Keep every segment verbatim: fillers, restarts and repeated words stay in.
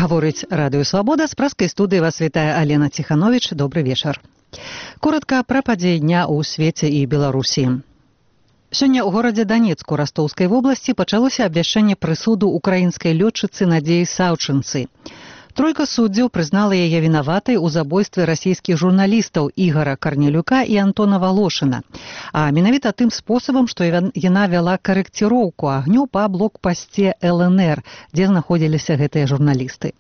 Гаворыць Радыё Свабода, з праскай студыі вас вітае Алена Ціхановіч. Добры вечар. Коратка пра падзеі дня ў свеце і Беларусі. Сёння ў горадзе Данецку Растоўскай вобласці пачалося абвяшчэнне прысуду украінскай лётчыцы Надзеі Саўчынцы. Тройка суддзяў прызнала яе вінаватай у забойстве расійскіх журналістаў Ігара Карнелюка і Антона Валошына. А менавіта тым спосабам, што яна вяла карэкціроўку агню па блокпасце эл эн эр, дзе знаходзіліся гэтыя журналісты.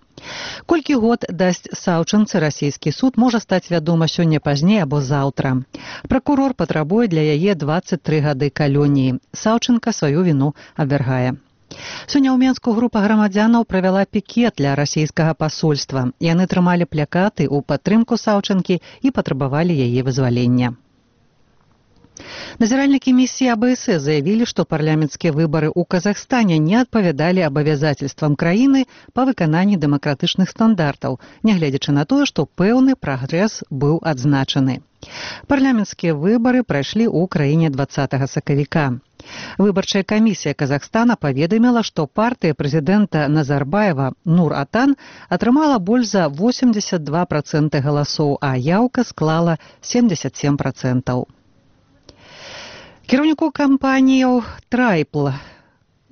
Колькі год дасць Саўчынцы расійскі суд, можа стаць вядома сёння пазней або заўтра. Пракурор патрабуе для яе дваццаць тры гады калоніі. Саўчынка сваю віну абвяргае. Сёння ў Менску група грамадзянаў правяла пікет для расійскага пасольства. Яны трымалі плакаты ў падтрымку Саўчынкі і патрабавалі яе вызвалення. Назіральнікі місіі а бэ эс э заявілі, што парламенцкія выбары ў Казахстане не адпавядалі абавязацельствам краіны па выкананні дэмакратычных стандартаў, нягледзячы на тое, што пэўны прагрэс быў адзначаны. Парламенцкія выбары прайшлі ў краіне дваццатага сакавіка. Выбарчая камісія Казахстана паведаміла, што партыя прэзідэнта Назарбаева Нур-Атан атрымала больш за восемьдесят два проценты галасоў, а яўка склала семьдесят семь процентаў. Кіраўніку кампаніяў «Трайпл»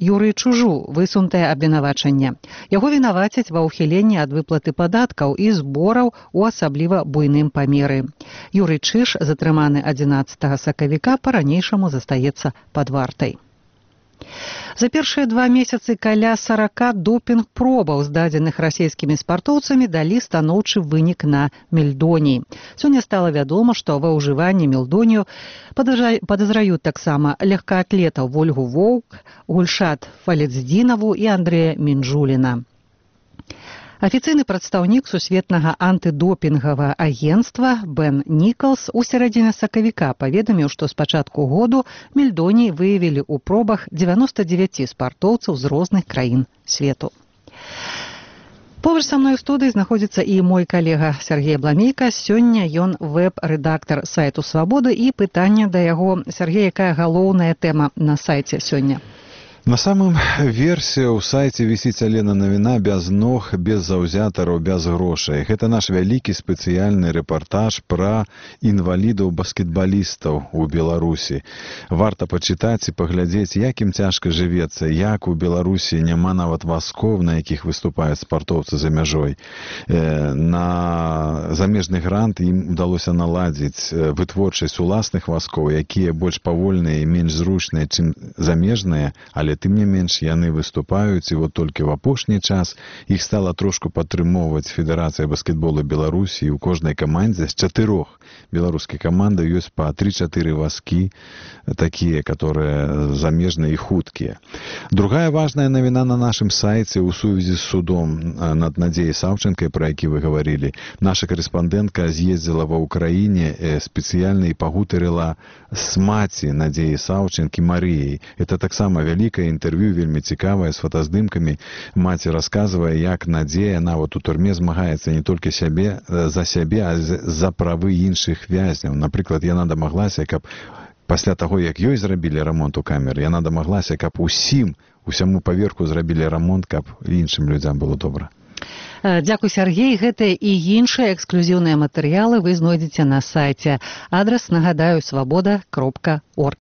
Юрыю Чужу высунутае абвінавачанне. Яго вінавацяць ва ўхіленні ад выплаты падаткаў і збораў у асабліва буйным памеры. Юрый Чыж, затрыманы адзінаццатага сакавіка, па-ранейшаму застаецца пад вартай. За першыя два месяцы каля сорока допінг-пробаў, здадзеных расійскімі спартоўцамі, далі станоўчы вынік на мельдоній. Сёння стала вядома, што ва ўжыванні мельдонію падазраюць таксама легкаатлетаў Вольгу Воўк, Гульшат Фалецдзінаву і Андрэя Мінджуліна. Афіцыйны прадстаўнік сусветнага антыдопінгавага агенцтва Бен Нікалс у сярэдзіне сакавіка паведаміў, што з пачатку году мельдоній выявілі ў пробах дзевяноста дзевяць спартоўцаў з розных краін свету. Побач са мной у студыі знаходзіцца і мой калега Сергей Бламейка. Сёння ён вэб-рэдактар сайту «Свабода», і пытанне да яго. Сергей, якая галоўная тэма на сайце сёння? На самым версе ў сайце вісіць, Алена, навіна без ног, без заўзятараў, без грошай. Гэта наш вялікі спецыяльны рэпартаж пра інвалідаў-баскетбалістаў у Беларусі. Варта пачытаць і паглядзець, як ім цяжка жывецца, як у Беларусі няма нават вазкоў, на якіх выступаюць спартоўцы за мяжой. На замежны грант ім удалося наладзіць вытворчасць уласных вазкоў, якія больш павольныя і менш зручныя, чым замежныя, але тым не менш яны выступаюць, і вот толькі ў апошні час іх стала трошку падтрымоўваць Федэрацыя баскетбола Беларусі, і ў кожнай камандзе з чатырох беларускіх каманд ёсць па тры-чатыры вазкі, такія, которые замежныя і хуткія. Другая важная навіна на нашым сайце ў сувязі з судом над Надзеяй Саўчынкай, пра які вы гаварылі. Наша карэспандэнтка з'ездзіла ва ўкраіне спецыяльна і пагутарыла з маці Надзеі Саўчынкі Марыяй. Это таксама вялікае інтэрв'ю, вельмі цікавае, з фотаздымкамі. Маці расказвае, як Надзея нават у турме змагаецца не толькі сябе за сябе, а за правы іншых вязняў. Напрыклад, яна дамаглася, каб пасля таго, як ёй зрабілі рамонт у камеры, яна дамаглася, каб усім, усяму паверху зрабілі рамонт, каб іншым людзям было добра. Дзякуй, Сергей. Гэтыя і іншыя эксклюзіўныя матэрыялы вы знойдзеце на сайце. Адрас, нагадаю, свабода кропка орг.